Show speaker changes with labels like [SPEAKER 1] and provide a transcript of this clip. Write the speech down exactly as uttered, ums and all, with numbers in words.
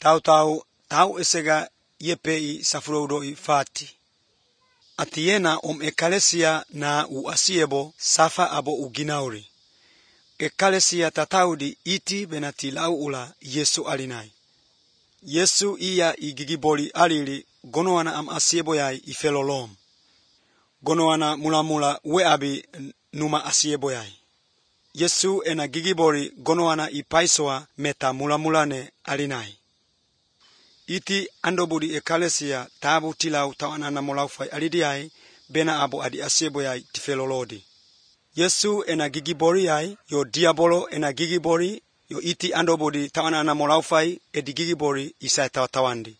[SPEAKER 1] Tau tau tau esega yepei safurodoi fati. Atiena om ekalesia na u asiebo safa abo uginauri. Ekalesia tataudi iti benati laula Yesu alinai. Yesu iya igigiboli alili gonoana am asiebo yai ifelolom. Gonoana mula-mula weabi numa asiebo yai. Yesu ena gigiboli gonoana ipaisoa meta mula-mulane alinai. Iti andobudi ekalesia tabu tilau tawanana molaufai alidiai bena abo adi asiebo yai tifelolodi. Yesu ena gigibori yai yo diabolo ena gigibori yo iti andobudi tawanana molaufai edi gigibori isai tawandi.